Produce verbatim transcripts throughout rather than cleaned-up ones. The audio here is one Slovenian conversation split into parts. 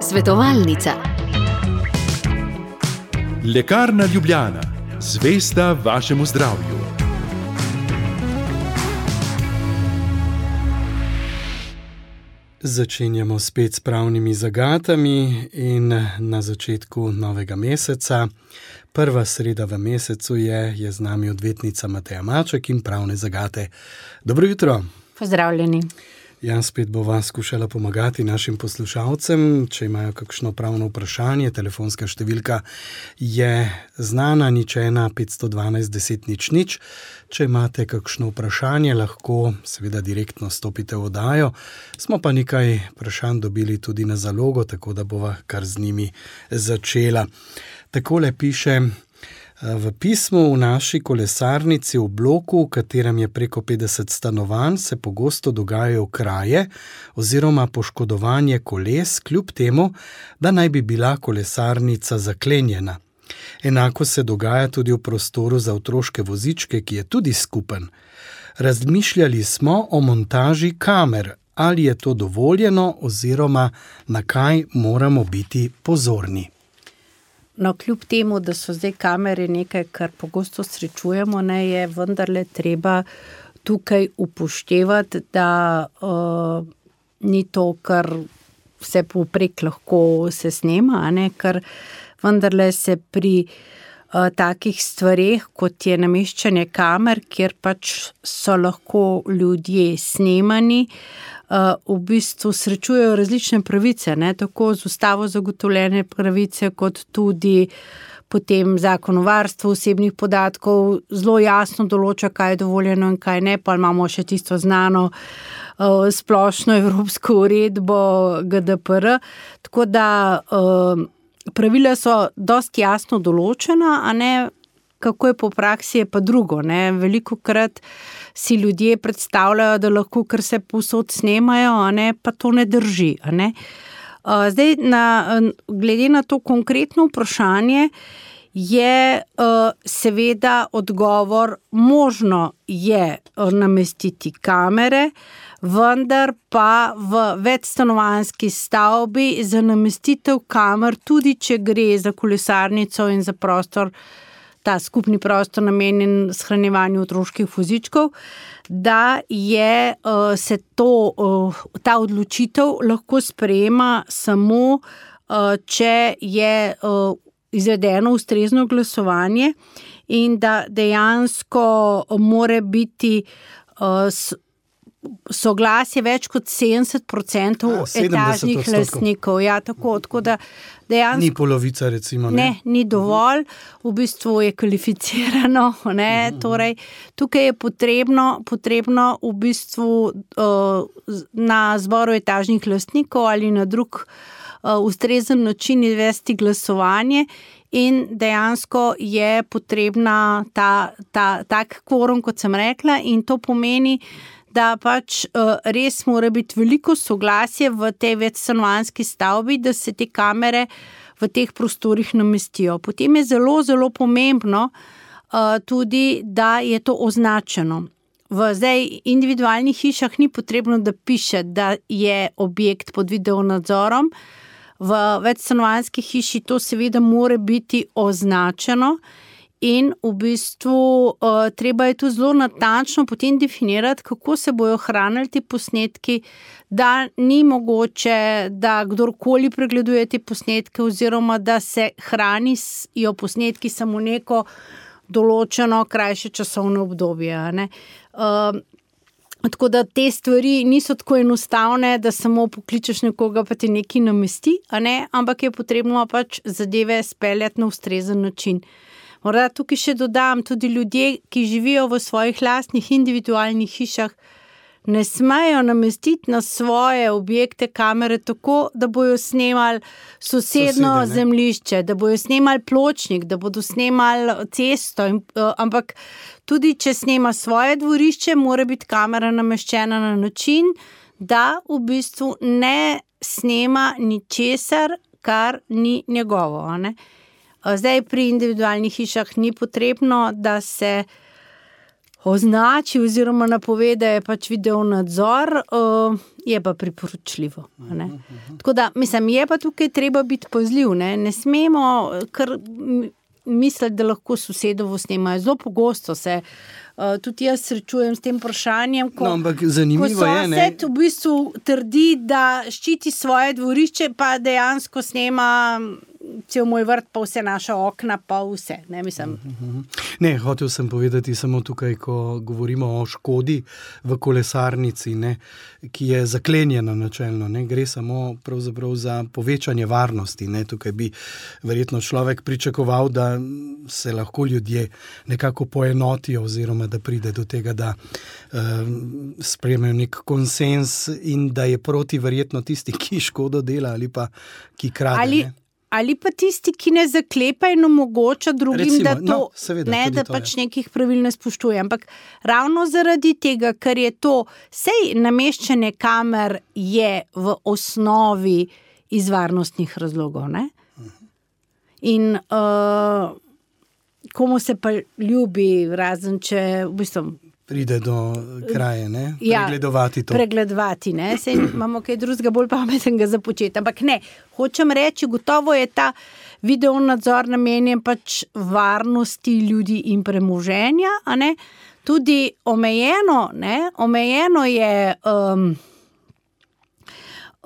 Svetovalnica. Lekarna Ljubljana, zvesta vašemu zdravju. Začenjamo spet s pravnimi zagatami in na začetku novega meseca. Prva sreda v mesecu je, je z nami odvetnica Mateja Maček in pravne zagate. Dobro jutro. Pozdravljeni. Jaz spet bova skušala pomagati našim poslušalcem, če imajo kakšno pravno vprašanje. Telefonska številka je znana, nič ena petsto dvanajst deset nič nič. Če imate kakšno vprašanje, lahko seveda direktno stopite v oddajo. Smo pa nekaj vprašanj dobili tudi na zalogo, tako da bova kar z njimi začela. Takole piše v pismu: v naši kolesarnici v bloku, v katerem je preko petdeset stanovanj, se pogosto dogajajo kraje oziroma poškodovanje koles, kljub temu, da naj bi bila kolesarnica zaklenjena. Enako se dogaja tudi v prostoru za otroške vozičke, ki je tudi skupen. Razmišljali smo o montaži kamer. Ali je to dovoljeno oziroma na kaj moramo biti pozorni? No, kljub temu, da so zdaj kamere nekaj, kar pogosto srečujemo, ne, je vendarle treba tukaj upoštevati, da uh, ni to, kar vse povprek lahko se snema, a ne, ker vendarle se pri uh, takih stvareh, kot je nameščanje kamer, kjer pač so lahko ljudje snemani, Uh, v bistvu srečujejo različne pravice, ne, tako z ustavo zagotovljene pravice, kot tudi potem zakon o varstvu osebnih podatkov zelo jasno določa, kaj je dovoljeno in kaj ne, pa imamo še tisto znano uh, splošno evropsko uredbo G D P R, tako da uh, pravila so dosti jasno določena, a ne, kako je po praksi, je pa drugo, ne, velikokrat si ljudje predstavljajo, da lahko kar se povsod snemajo, a ne, pa to ne drži, a ne. Zdaj, na, glede na to konkretno vprašanje, je seveda odgovor, možno je namestiti kamere, vendar pa v večstanovanjski stavbi za namestitev kamer, tudi če gre za kolesarnico in za prostor, ta skupni prostor namenjen shranjevanju otroških vozičkov, da je uh, se to, uh, ta odločitev lahko sprejema samo, uh, če je uh, izvedeno ustrezno glasovanje in da dejansko mora biti uh, s, soglasje več kot sedemdeset procentov etažnih lastnikov. Ja, tako, tako da dejansko ni polovica, recimo. Ne, ne ni dovolj, v bistvu je kvalificirano, ne, uh-huh. Torej, tukaj je potrebno, potrebno v bistvu uh, na zboru etažnih lastnikov ali na drug uh, ustrezen način izvesti glasovanje in dejansko je potrebna ta, ta, tak kvorum, kot sem rekla, in to pomeni, da pač uh, res mora biti veliko soglasje v tej večstanovanjski stavbi, da se te kamere v teh prostorih namestijo. Potem je zelo, zelo pomembno uh, tudi, da je to označeno. V zdaj individualnih hišah ni potrebno, da piše, da je objekt pod videonadzorom. V večstanovanjski hiši to seveda mora biti označeno. In v bistvu uh, treba je tu zelo natančno potem definirati, kako se bojo hranili ti posnetki, da ni mogoče, da kdorkoli pregleduje te posnetke oziroma da se hranijo posnetki samo neko določeno krajše časovno obdobje. Ne? Uh, tako da te stvari niso tako enostavne, da samo pokličeš nekoga, pa ti nekaj namesti, a ne? Ampak je potrebno pač zadeve speljati na ustrezen način. Morda tukaj še dodam, tudi ljudje, ki živijo v svojih lastnih individualnih hišah, ne smejo namestiti na svoje objekte kamere tako, da bojo snemali sosedno Sosede, zemljišče, da bojo snemali pločnik, da bodo snemali cesto, in, uh, ampak tudi če snema svoje dvorišče, mora biti kamera nameščena na način, da v bistvu ne snema ničesar, kar ni njegovo, a ne? Zdaj pri individualnih hišah ni potrebno, da se označi oziroma napove, da je pač video nadzor, uh, je pa priporočljivo. Ne? Tako da, mislim, je pa tukaj treba biti pazljiv, ne, ne smemo, ker misliti, da lahko sosedovo snemajo. Zelo pogosto se uh, tudi jaz srečujem s tem vprašanjem, ko, no, ampak zanimivo ko je, ne? sosed v bistvu trdi, da ščiti svoje dvorišče, pa dejansko snema cel moj vrt, pa vse naša okna, pa vse. Ne, mislim. Ne, hotel sem povedati samo tukaj, ko govorimo o škodi v kolesarnici, ne, ki je zaklenjena načelno, ne, gre samo pravzaprav za povečanje varnosti. Ne. Tukaj bi verjetno človek pričakoval, da se lahko ljudje nekako poenotijo oziroma da pride do tega, da um, sprejmejo nek konsens in da je proti verjetno tisti, ki škodo dela ali pa ki krade. Ali... Ne. Ali pa tisti, ki ne zaklepa in omogoča drugim, Recimo, da, to, no, seveda, ne, da to pač je. nekih pravil ne spoštuje. Ampak ravno zaradi tega, ker je to, sej nameščanje kamer je v osnovi iz varnostnih razlogov. Ne? In uh, komu se pa ljubi, razen če v bistvu pride do kraje, ne? Ja, pregledovati to. Pregledovati, ne? Sej imamo kaj drugega bolj pametnega za početi. Ampak ne, hočem reči, gotovo je ta video nadzor namenjen pač varnosti ljudi in premoženja, a ne? Tudi omejeno, ne? Omejeno je um,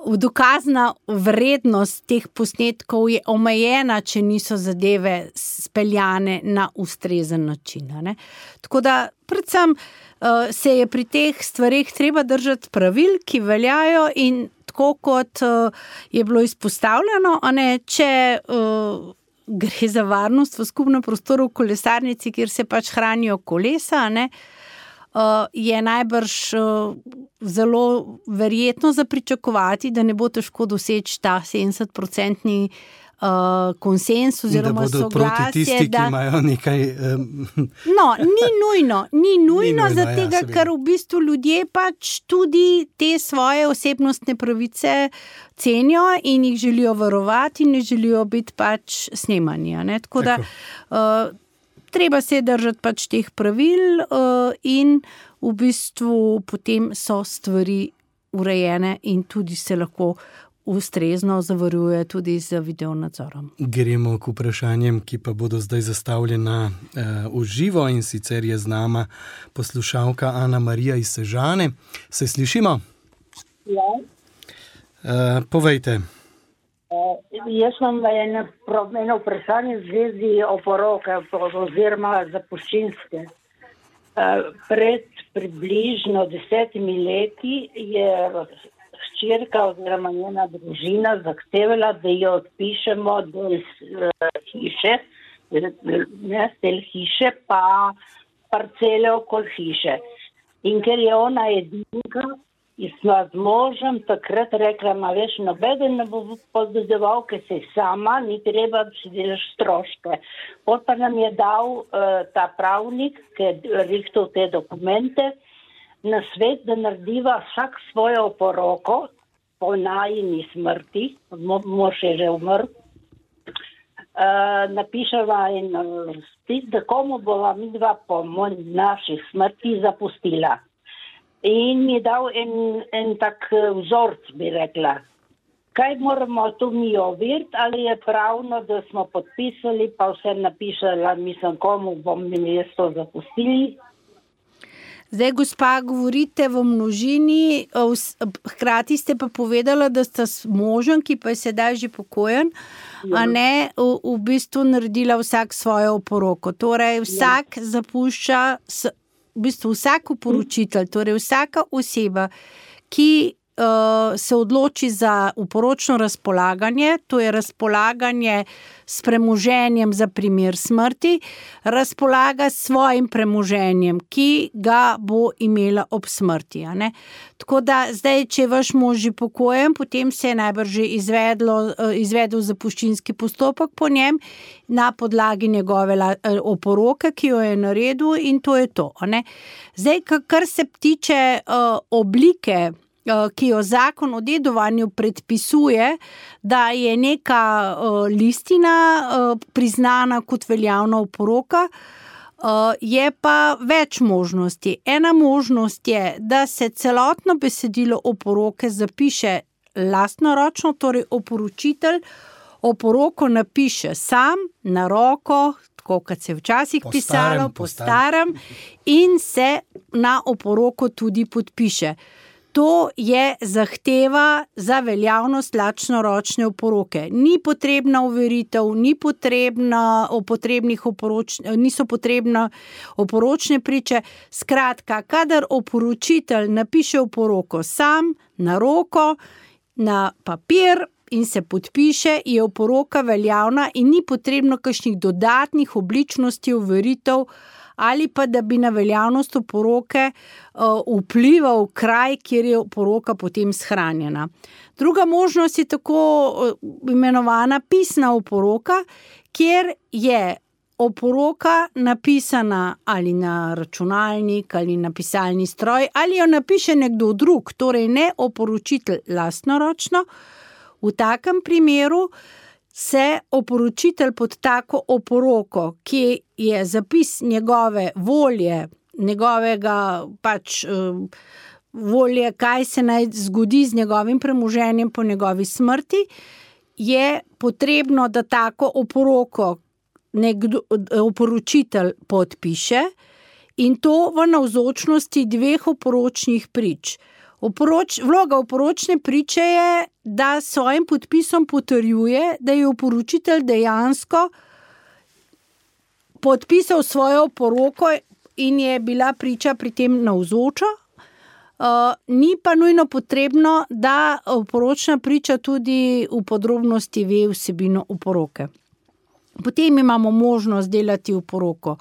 dokazna vrednost teh posnetkov je omejena, če niso zadeve speljane na ustrezen način. Ne? Tako da predvsem uh, se je pri teh stvareh treba držati pravil, ki veljajo in tako kot uh, je bilo izpostavljeno, a ne, če uh, gre za varnost v skupnem prostoru v kolesarnici, kjer se pač hranijo kolesa, ne, Uh, je najbrž uh, zelo verjetno za pričakovati, da ne bo težko doseči ta sedemdesetprocentni uh, konsens oziroma soglasje. Da bodo proti tisti, da... ki imajo nekaj... Um... No, ni nujno, ni nujno, ni nujno za tega, ja, ker v bistvu ljudje pač tudi te svoje osebnostne pravice cenijo in jih želijo varovati in ne želijo biti pač snemani. Ne? Tako da... Uh, Treba se držati pač teh pravil uh, in v bistvu potem so stvari urejene in tudi se lahko ustrezno zavaruje tudi z video nadzorom. Gremo k vprašanjem, ki pa bodo zdaj zastavljena uh, v živo in sicer je z nama poslušalka Ana Marija iz Sežane. Se slišimo? Ja. Uh, povejte. Uh, jaz imam eno, eno vprašanje v zvezi oporoke oziroma zapuščinske. Uh, pred približno desetimi leti je hčerka oziroma njena družina zahtevala, da jo odpišemo del uh, hiše, ne, del hiše pa parcele okoli hiše. In ker je ona edinka, in smo z možem takrat rekla, ma veš, nobeden ne bo poddedoval, ker se sama, ni treba, da si delaš stroške. Pot pa nam je dal uh, ta pravnik, ki je rihtal te dokumente, na svet, da narediva vsak svojo oporoko po najini smrti, mož je že umrl, uh, napiševa in spis, da komu bova midva po naših smrti zapustila. In mi je dal en, en tak vzorc, bi rekla. Kaj moramo tu mi overiti, ali je pravno, da smo podpisali, pa vse napišala, mislim, komu bom mi jaz to zapustili. Zdaj, gospa, govorite v množini, hkrati ste pa povedala, da ste s možem, ki pa je sedaj že pokojen, ja. A ne v, v bistvu naredila vsak svojo oporoko. Torej, vsak ja. zapušča... S, v bistvu vsak uporočitelj, torej vsaka oseba, ki uh, se odloči za uporočno razpolaganje, to je razpolaganje s premoženjem za primer smrti, razpolaga s svojim premoženjem, ki ga bo imela ob smrti. A ne? Tako da zdaj, če je vaš mož že pokojen, potem se je najbrž že izvedlo, izvedel zapuščinski postopek po njem na podlagi njegove oporoke, ki jo je naredil, in to je to. A ne? Zdaj, kar se tiče uh, oblike, ki jo zakon o dedovanju predpisuje, da je neka uh, listina uh, priznana kot veljavna oporoka, Uh, je pa več možnosti. Ena možnost je, da se celotno besedilo oporoke zapiše lastnoročno, torej oporočitelj oporoko napiše sam, na roko, tako kot se je včasih Po pisalo, starem, po po starem, in se na oporoko tudi podpiše. To je zahteva za veljavnost lastnoročne oporoke. Ni potrebna overitev, ni potrebna potrebnih oporoč, niso potrebne oporočne priče. Skratka, kadar oporočitelj napiše oporoko sam, na roko, na papir in se podpiše, je oporoka veljavna in ni potrebno kakšnih dodatnih obličnosti, overitev ali pa da bi na veljavnost oporoke uh, vplival kraj, kjer je oporoka potem shranjena. Druga možnost je tako uh, imenovana pisna oporoka, kjer je oporoka napisana ali na računalnik ali na pisalni stroj ali jo napiše nekdo drug, torej ne oporočitelj lastnoročno. V takem primeru se oporočitelj pod tako oporoko, ki je zapis njegove volje, njegovega pač volje, kaj se naj zgodi z njegovim premoženjem po njegovi smrti, je potrebno, da tako oporoko nekdo, oporočitelj podpiše in to v navzočnosti dveh oporočnih prič. Oporoč, vloga oporočne priče je, da s svojim podpisom potrjuje, da je oporočitelj dejansko podpisal svojo oporoko in je bila priča pri tem navzoča. Uh, ni pa nujno potrebno, da oporočna priča tudi v podrobnosti ve vsebino oporoke. Potem imamo možnost delati oporoko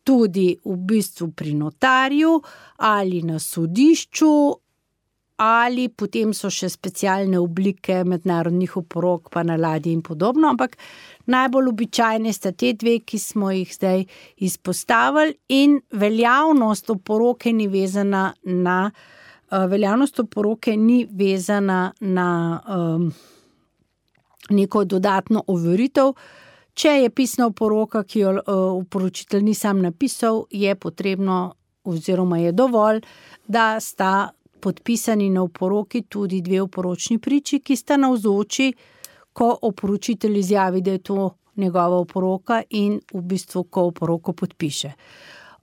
tudi v bistvu pri notarju ali na sodišču, ali potem so še specialne oblike mednarodnih oporok, pa na ladji in podobno, ampak najbolj običajne sta te dve, ki smo jih zdaj izpostavili, in veljavnost oporoke ni vezana na, uh, veljavnost oporoke ni vezana na um, neko dodatno overitev. Če je pisna oporoka, ki jo uh, oporočitelj ni sam napisal, je potrebno oziroma je dovolj, da sta podpisani na oporoki tudi dve oporočni priči, ki sta navzoči, ko oporočitelj izjavi, da je to njegova oporoka in v bistvu, ko oporoko podpiše.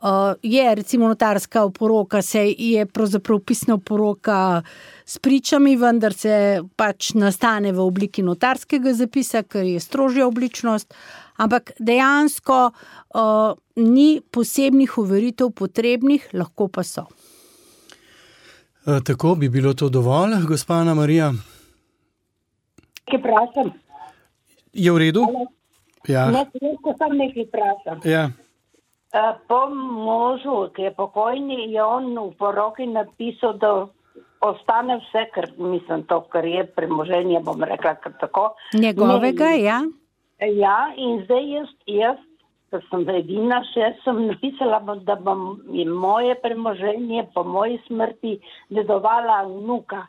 Uh, je recimo notarska oporoka, se je pravzaprav pisna oporoka s pričami, vendar se pač nastane v obliki notarskega zapisa, ker je strožja obličnost, ampak dejansko uh, ni posebnih overitev potrebnih, lahko pa so. Tako bi bilo to dovolj, gospa Ana Marija? Nekaj vprašam. Je v redu? Ja. Ne, lahko sam nekaj vprašam. Ja. Po možu, ki je pokojni, je on v poroki napisal, da ostane vse, ker mislim to, kar je premoženje, bom rekla, kar tako. Njegovega, ne, ja. Ja, in zdaj jaz, jaz ker sem edina še, sem napisala, da bom moje premoženje po moji smrti dedovala vnuka.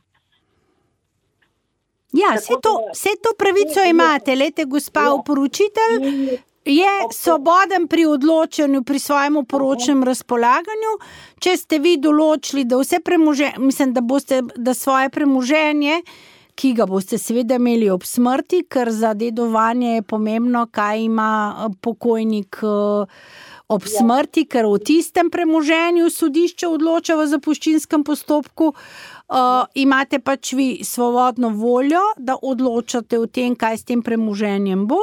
Ja, vse to, vse to pravico imate, lete, gospa oporočitelj je svoboden pri odločanju, pri svojem oporočnem razpolaganju. Če ste vi določili, da vse premoženje, mislim, da boste, da svoje premoženje, ki ga boste seveda imeli ob smrti, ker za dedovanje je pomembno, kaj ima pokojnik ob smrti, ker v tistem premoženju sodišče odloča v zapuščinskem postopku, uh, imate pač vi svobodno voljo, da odločate o tem, kaj s tem premoženjem bo.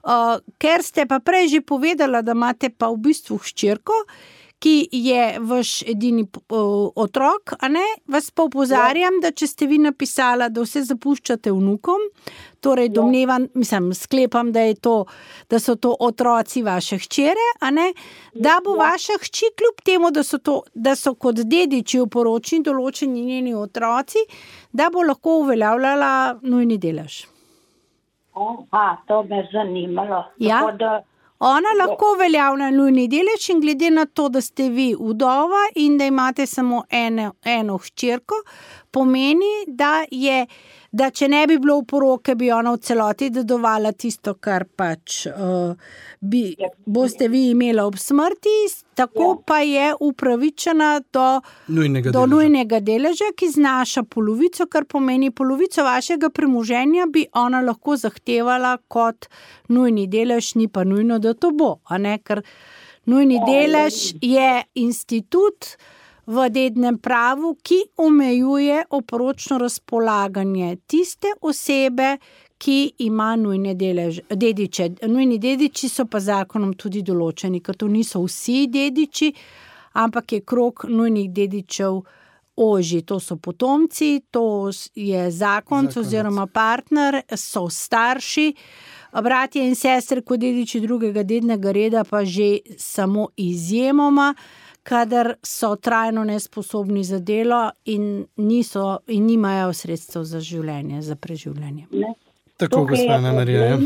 Uh, ker ste pa prej že povedala, da imate pa v bistvu hčerko, ki je vaš edini uh, otrok, a ne? Vas pa opozarjam, da če ste vi napisala, da vse zapuščate vnukom, torej domnevam, mislim, sklepam, da je to, da so to otroci vaše hčere, a ne? Da bo vaša hči kljub temu, da so to, da so kot dediči oporočni določeni njeni otroci, da bo lahko uveljavljala nujni delež. Aha, to me zanimalo. Ja. Tako da Ona lahko uveljavlja nujni delež in glede na to, da ste vi vdova in da imate samo eno, eno hčerko, pomeni, da je, da če ne bi bilo oporoke, bi ona v celoti dedovala tisto, kar pač uh, bi, boste vi imeli ob smrti, tako ja. Pa je upravičena do nujnega, do deleža. nujnega deleža, ki znaša polovico, kar pomeni polovico vašega premoženja bi ona lahko zahtevala kot nujni delež, ni pa nujno, da to bo, a ne, ker nujni delež je institut v dednem pravu, ki omejuje oporočno razpolaganje tiste osebe, ki ima nujne delež, dediče. Nujni dediči so pa zakonom tudi določeni, ker to niso vsi dediči, ampak je krog nujnih dedičev ožji. To so potomci, to je zakonc oziroma partner, so starši, bratje in sestre kot dediči drugega dednega reda pa že samo izjemoma, kadar so trajno nesposobni za delo in, niso, in nimajo sredstev za življenje, za preživljanje. Ne. Tako, gospa Ana Marija.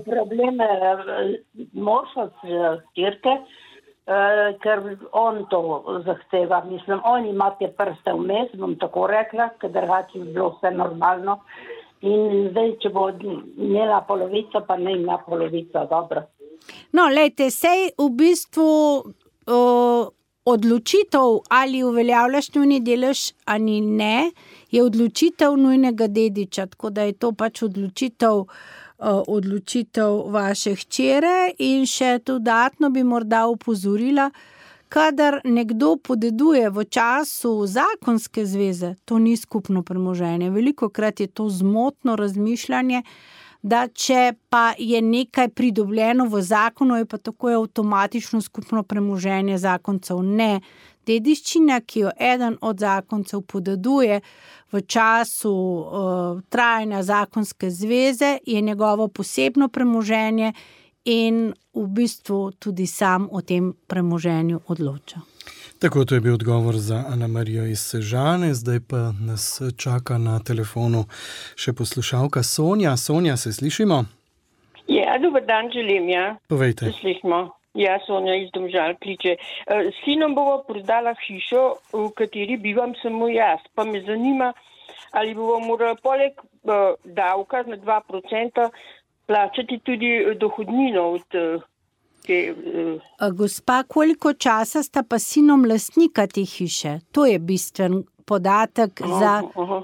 Problem je možno stirke, ker on to zahteva. Mislim, on ima te prste vmes, bom tako rekla, ker drugače bi bilo vse normalno. In zdaj, če bo imela polovico, pa ne ima polovico, dobro. No, lejte, sej v bistvu uh, odločitev, ali uveljavljaš nujni delež ali ne, je odločitev nujnega dediča, tako da je to pač odločitev, uh, odločitev vaše hčere in še dodatno bi morda upozorila, kadar nekdo podeduje v času zakonske zveze, to ni skupno premoženje. Velikokrat je to zmotno razmišljanje, da če pa je nekaj pridobljeno v zakonu, je pa tako avtomatično skupno premoženje zakoncev. Ne, dediščina, ki jo eden od zakoncev podeduje v času uh, trajanja zakonske zveze, je njegovo posebno premoženje in v bistvu tudi sam o tem premoženju odloča. Tako, to je bil odgovor za Ana Marijo iz Sežane, zdaj pa nas čaka na telefonu še poslušalka Sonja. Sonja, se slišimo? Ja, dober dan želim, ja. Povejte. Se slišimo. Ja, Sonja iz Domžal kliče. S sinom bomo prodala hišo, v kateri bivam samo jaz. Pa me zanima, ali bomo morali poleg uh, davka na dva procenta plačati tudi dohodnino od uh, te... Uh... Gospa, koliko časa sta pa sinom lastnika te hiše? To je bistven podatek uh, za... Uh, uh,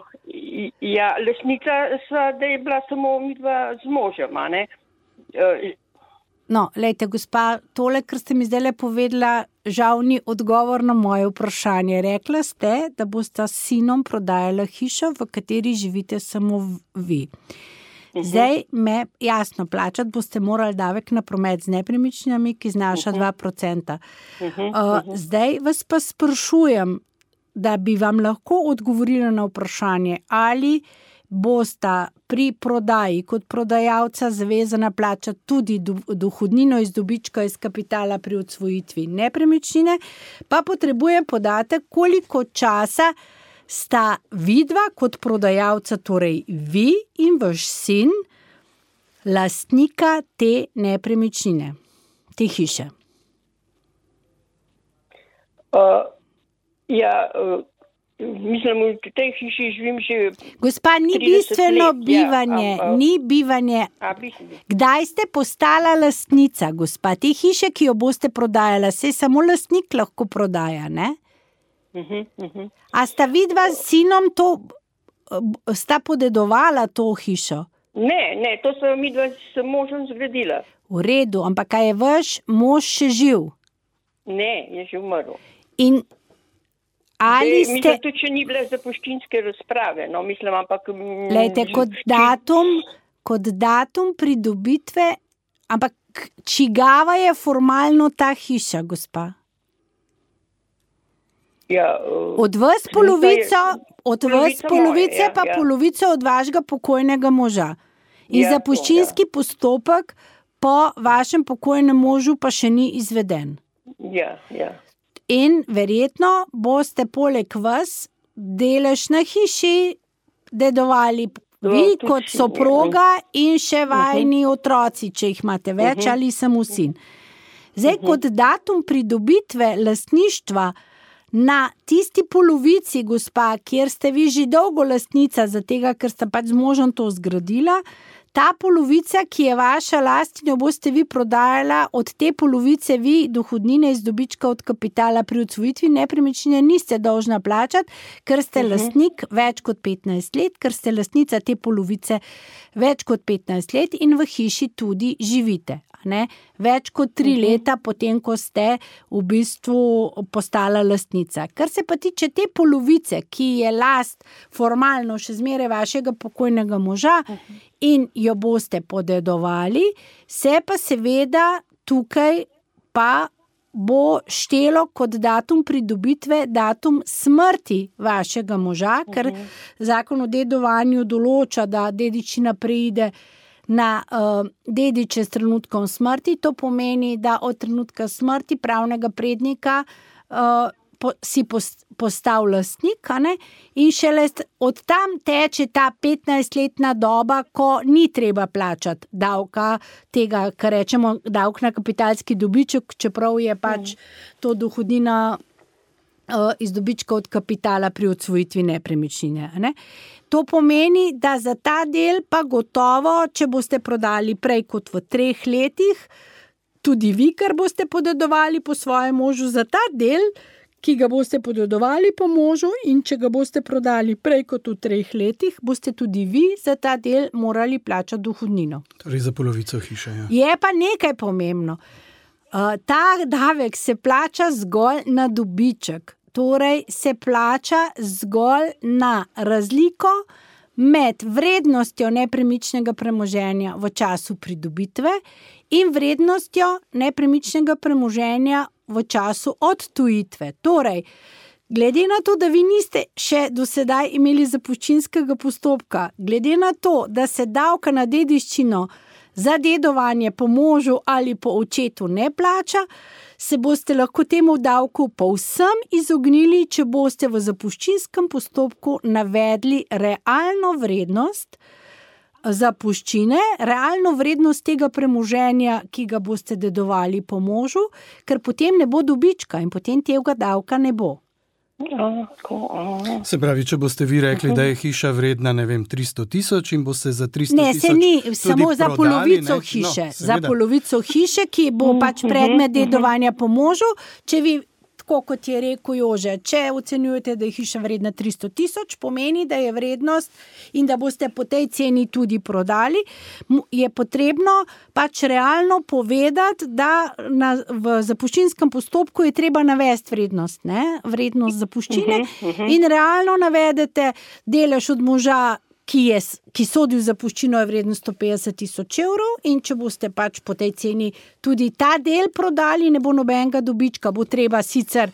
ja, lastnika sva, da je bila samo midva z možem, a ne? Uh, No, lejte, gospa, tole, kar ste mi zdaj povedala, žal ni odgovor na moje vprašanje. Rekla ste, da boste s sinom prodajala hišo, v kateri živite samo vi. Zdaj me jasno plačati, boste morali davek na promet z nepremičninami, ki znaša dva procenta. Uh, zdaj vas pa sprašujem, da bi vam lahko odgovorila na vprašanje, ali bosta pri prodaji kot prodajalca zavezana plačati tudi dohodnino iz dobička iz kapitala pri odsvojitvi nepremičnine, pa potrebujem podatek, koliko časa sta vidva kot prodajalca, torej vi in vaš sin, lastnika te nepremičnine, te hiše. Uh, ja, uh... Mislim, v tej hiši živim že Gospa, ni bistveno bivanje, ja, a, a, ni bivanje. A, Kdaj ste postala lastnica, gospa? Te hiše, ki jo boste prodajala, se samo lastnik lahko prodaja, ne? Uh-huh, uh-huh. A sta vidva s sinom to, sta podedovala to hišo? Ne, ne, to sem midva s možem zgradila. V redu, ampak kaj je vaš mož še živ? Ne, je že umrl. In ali ste... Mislim, tudi če ni bile zapuščinske razprave, no, mislim, ampak... Lejte, kot datum, kot datum pridobitve, ampak čigava je formalno ta hiša, gospa? Ja, uh, od vas polovico, je, od vas polovice, moje, pa ja, ja. polovico od vašega pokojnega moža. In ja, zapuščinski ja. postopek po vašem pokojnem možu pa še ni izveden. Ja, ja. In verjetno boste poleg vas delež na hiši dedovali vi no, kot soproga in še vajni uh-huh. otroci, če jih imate več uh-huh. ali samo sin. Zdaj, uh-huh. kot datum pridobitve lastništva na tisti polovici, gospa, kjer ste vi že dolgo lastnica, zatega, ker ste pač z možem to zgradila, ta polovica, ki je vaša last in jo boste vi prodajala, od te polovice vi dohodnine iz dobička od kapitala pri odsvojitvi nepremičnine niste dolžna plačati, ker ste uh-huh. lastnik več kot petnajst let, ker ste lastnica te polovice več kot petnajst let in v hiši tudi živite. Ne? Več kot tri uh-huh. leta potem, ko ste v bistvu postala lastnica. Kar se pa tiče te polovice, ki je last formalno še zmeraj vašega pokojnega moža uh-huh. in jo boste podedovali, se pa seveda tukaj pa bo štelo kot datum pridobitve, datum smrti vašega moža, uh-huh. ker zakon o dedovanju določa, da dedičina preide na uh, dediče s trenutkom smrti. To pomeni, da od trenutka smrti pravnega prednika uh, po, si post, postal lastnik, a ne? In šele od tam teče ta petnajstletna doba, ko ni treba plačati davka, tega, kar rečemo davk na kapitalski dobiček, čeprav je pač to dohodnina uh, iz dobička od kapitala pri odsvojitvi nepremičnine, a ne? To pomeni, da za ta del pa gotovo, če boste prodali prej kot v treh letih, tudi vi, kar boste podedovali po svojem možu, za ta del, ki ga boste podedovali po možu in če ga boste prodali prej kot v treh letih, boste tudi vi za ta del morali plačati dohodnino. Torej za polovico hiše, ja. Je pa nekaj pomembno. Uh, ta davek se plača zgolj na dobiček. Torej se plača zgolj na razliko med vrednostjo nepremičnega premoženja v času pridobitve in vrednostjo nepremičnega premoženja v času odtujitve. Torej, glede na to, da vi niste še do sedaj imeli zapuščinskega postopka, glede na to, da se davka na dediščino za dedovanje po možu ali po očetu ne plača, se boste lahko temu davku povsem izognili, če boste v zapuščinskem postopku navedli realno vrednost zapuščine, realno vrednost tega premoženja, ki ga boste dedovali po možu, ker potem ne bo dobička in potem tega davka ne bo. Se pravi, če boste vi rekli, da je hiša vredna, ne vem, tristo tisoč in boste za tristo ne, tisoč se ni, samo prodali, za polovico ne? hiše, No, za polovico hiše, ki bo pač predmet dedovanja po možu, če vi, tako kot je rekel Jože, če ocenjujete, da je hiša vredna tristo tisoč, pomeni, da je vrednost in da boste po tej ceni tudi prodali, je potrebno pač realno povedati, da na, v zapuščinskem postopku je treba navesti vrednost, ne? Vrednost zapuščine uh-huh, uh-huh. in realno navedete delež od moža, ki, je, ki sodi v zapuščino, je vredno sto petdeset tisoč evrov in če boste pač po tej ceni tudi ta del prodali, ne bo nobenega dobička, bo treba sicer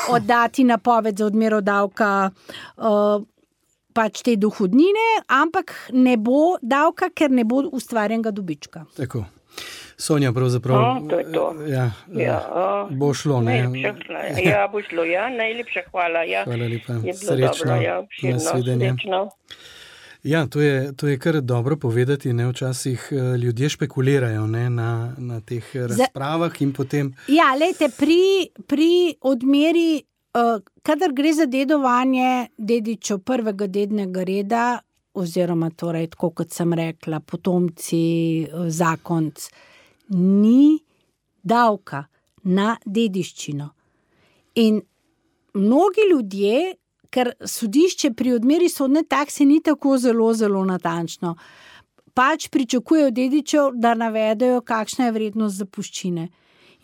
oddati napoved za odmero davka uh, pač te dohodnine, ampak ne bo davka, ker ne bo ustvarjenega dobička. Tako. Sonja, pravzaprav, no, to je to. Ja, ja, bo šlo, ne? Najlepša, ja, bo šlo, ja, najlepša hvala. Ja. Hvala lepa, srečno, dobro, ja, širno, nasvidenje. Srečno. Ja, to je, to je kar dobro povedati, ne, včasih ljudje špekulirajo, ne, na, na teh razpravah in potem... Ja, lejte, pri, pri odmeri, uh, kadar gre za dedovanje dedičev prvega dednega reda, oziroma torej, tako kot sem rekla, potomci, zakonc, ni davka na dediščino. In mnogi ljudje, ker sodišče pri odmeri sodne takse ni tako zelo, zelo natančno, pač pričakujejo dedičev, da navedejo, kakšna je vrednost zapuščine.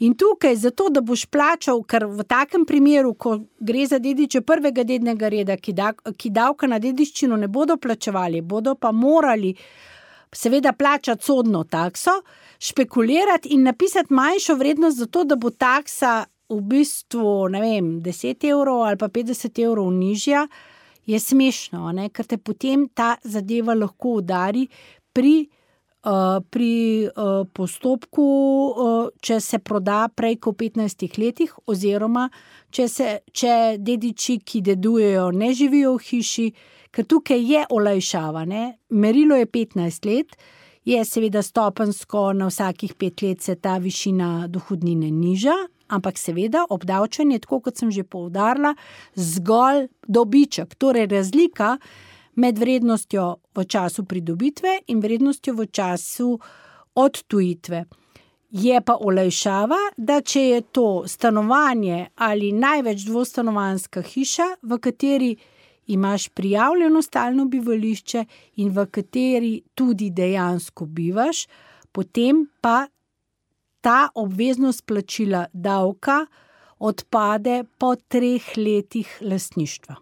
In tukaj, zato, da boš plačal, ker v takem primeru, ko gre za dediče prvega dednega reda, ki, da, ki davka na dediščino ne bodo plačevali, bodo pa morali seveda plačati sodno takso, špekulirati in napisati manjšo vrednost zato, da bo taksa v bistvu, ne vem, deset evrov ali pa petdeset evrov nižja, je smešno, ne? Ker te potem ta zadeva lahko udari pri, uh, pri uh, postopku, uh, če se proda prej kot v petnajstih letih, oziroma če, se, če dediči, ki dedujejo, ne živijo v hiši, ker tukaj je olajšava, ne? Merilo je petnajst let, je seveda stopensko, na vsakih pet let se ta višina dohodnine niža, ampak seveda obdavčen je, tako kot sem že poudarila, zgolj dobiček, torej razlika med vrednostjo v času pridobitve in vrednostjo v času odtujitve. Je pa olajšava, da če je to stanovanje ali največ dvostanovanjska hiša, v kateri imaš prijavljeno stalno bivališče in v kateri tudi dejansko bivaš, potem pa ta obveznost plačila davka odpade po treh letih lastništva.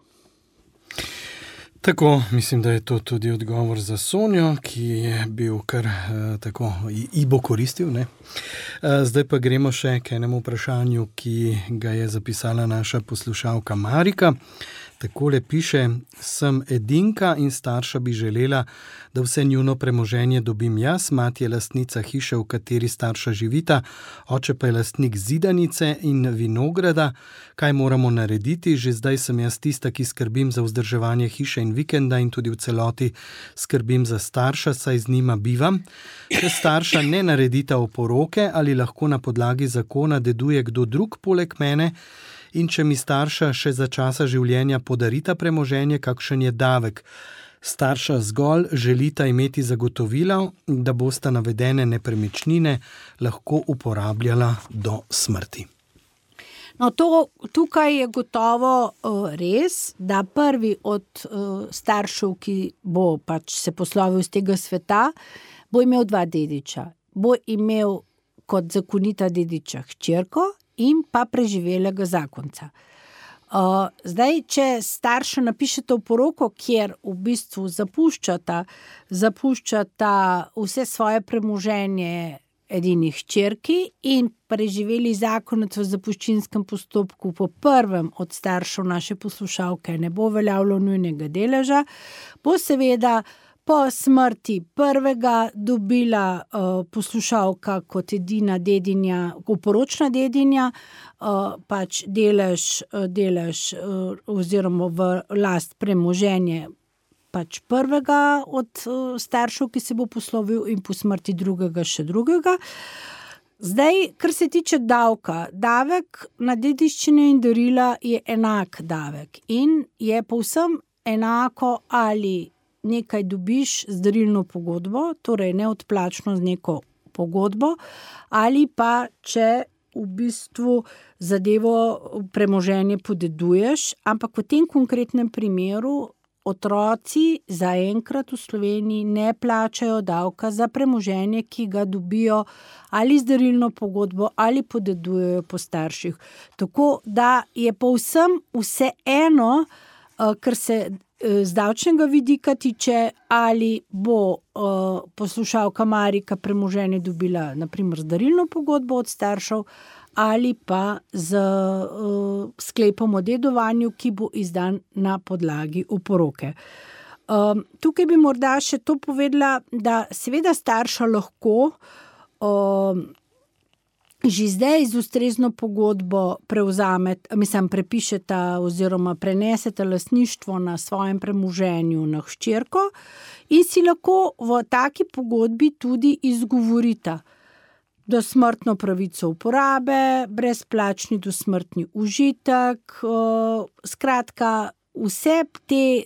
Tako, mislim, da je to tudi odgovor za Sonjo, ki je bil kar eh, tako, ji bo koristil, ne? Eh, zdaj pa gremo še k enemu vprašanju, ki ga je zapisala naša poslušalka Marika. Takole piše: sem edinka in starša bi želela, da vse njuno premoženje dobim jaz. Mati je lastnica hiše, v kateri starša živita, oče pa je lastnik zidanice in vinograda. Kaj moramo narediti? Že zdaj sem jaz tista, ki skrbim za vzdrževanje hiše in vikenda in tudi v celoti skrbim za starša, saj z njima bivam. Če starša ne naredita oporoke, ali lahko na podlagi zakona deduje kdo drug poleg mene? In če mi starša še za časa življenja podarita premoženje, kakšen je davek? Starša zgolj želita imeti zagotovilo, da bosta navedene nepremičnine lahko uporabljala do smrti. No, to, tukaj je gotovo uh, res, da prvi od uh, staršev, ki bo pač se poslovil z tega sveta, bo imel dva dediča. Bo imel kot zakonita dediča hčerko in pa preživelega zakonca. Uh, zdaj, če starša napišete oporoko, kjer v bistvu zapuščata, zapuščata vse svoje premoženje edini hčerki in preživeli zakonec v zapuščinskem postopku po prvem od staršev naše poslušalke ne bo veljavilo nujnega deleža, bo seveda po smrti prvega dobila uh, poslušalka kot edina dedinja, oporočna dedinja, uh, pač delež, uh, delež uh, oziroma v last premoženje pač prvega od uh, staršev, ki se bo poslovil, in po smrti drugega še drugega. Zdaj, kar se tiče davka, davek na dediščine in darila je enak davek in je povsem enako, ali nekaj dobiš z darilno pogodbo, torej neodplačno z neko pogodbo, ali pa če v bistvu zadevo premoženje podeduješ, ampak v tem konkretnem primeru otroci zaenkrat v Sloveniji ne plačajo davka za premoženje, ki ga dobijo ali z darilno pogodbo ali podedujejo po starših. Tako da je povsem vseeno, kar se z davčnega vidika tiče, ali bo uh, poslušalka Marika premoženje dobila na primer z darilno pogodbo od staršev ali pa z uh, sklepom o dedovanju, ki bo izdan na podlagi oporoke. Um, tukaj bi morda še to povedala, da seveda starša lahko um, že zdaj z ustrezno pogodbo prevzamete, mislim, prepišete oziroma prenesete lastništvo na svojem premoženju na hčerko in si lahko v taki pogodbi tudi izgovorita dosmrtno pravico uporabe, brezplačni dosmrtni užitek, skratka, vse te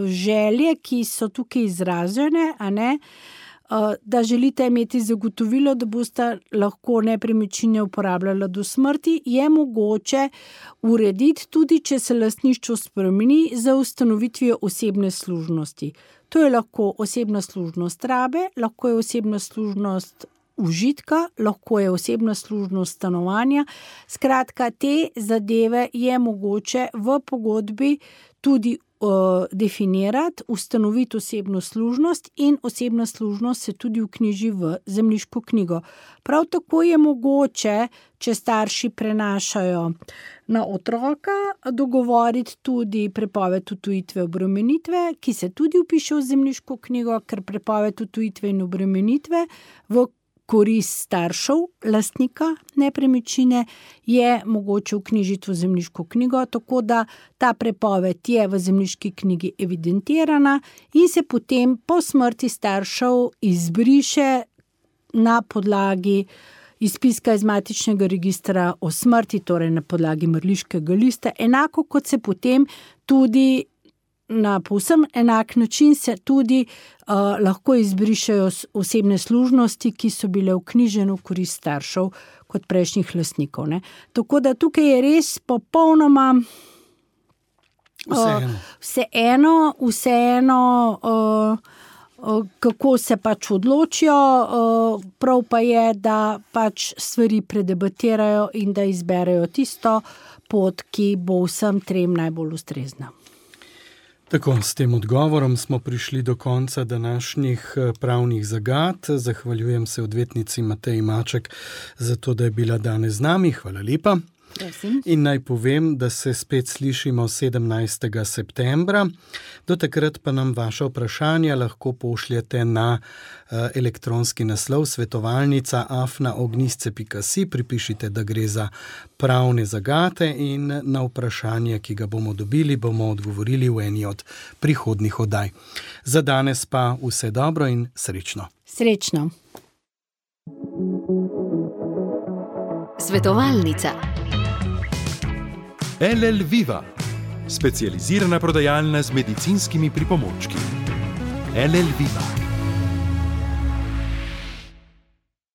želje, ki so tukaj izražene, a ne, da želite imeti zagotovilo, da boste lahko nepremičnine uporabljala do smrti, je mogoče urediti tudi, če se lastništvo spremeni za ustanovitvijo osebne služnosti. To je lahko osebna služnost rabe, lahko je osebna služnost užitka, lahko je osebna služnost stanovanja. Skratka, te zadeve je mogoče v pogodbi tudi definirati, ustanoviti osebno služnost in osebna služnost se tudi vknjiži v zemljiško knjigo. Prav tako je mogoče, če starši prenašajo na otroka, dogovoriti tudi prepoved odtujitve obremenitve, ki se tudi vpiše v zemljiško knjigo, ker prepoved odtujitve in obremenitve v korist staršev, lastnika nepremičnine, je mogoče vknjižiti v zemljiško knjigo, tako da ta prepoved je v zemljiški knjigi evidentirana in se potem po smrti staršev izbriše na podlagi izpiska iz matičnega registra o smrti, torej na podlagi mrliškega lista, enako kot se potem tudi na povsem enak način se tudi uh, lahko izbrišejo osebne služnosti, ki so bile vknjižene v korist staršev kot prejšnjih lastnikov. Ne. Tako da tukaj je res popolnoma vseeno, uh, vseeno, vseeno uh, uh, kako se pač odločijo, uh, prav pa je, da pač stvari predebatirajo in da izberejo tisto pot, ki bo vsem trem najbolj ustrezna. Tako, s tem odgovorom smo prišli do konca današnjih pravnih zagat. Zahvaljujem se odvetnici Mateji Maček za to, da je bila danes z nami. Hvala lepa. Prosim. In naj povem, da se spet slišimo sedemnajstega septembra. Do takrat pa nam vaša vprašanja lahko pošljete na uh, elektronski naslov svetovalnica afna ognjisce pika si. Pripišite, da gre za pravne zagate in na vprašanje, ki ga bomo dobili, bomo odgovorili v eni od prihodnjih oddaj. Za danes pa vse dobro in srečno. Srečno. Svetovalnica. L L Viva, specializirana prodajalna z medicinskimi pripomočki. L L Viva.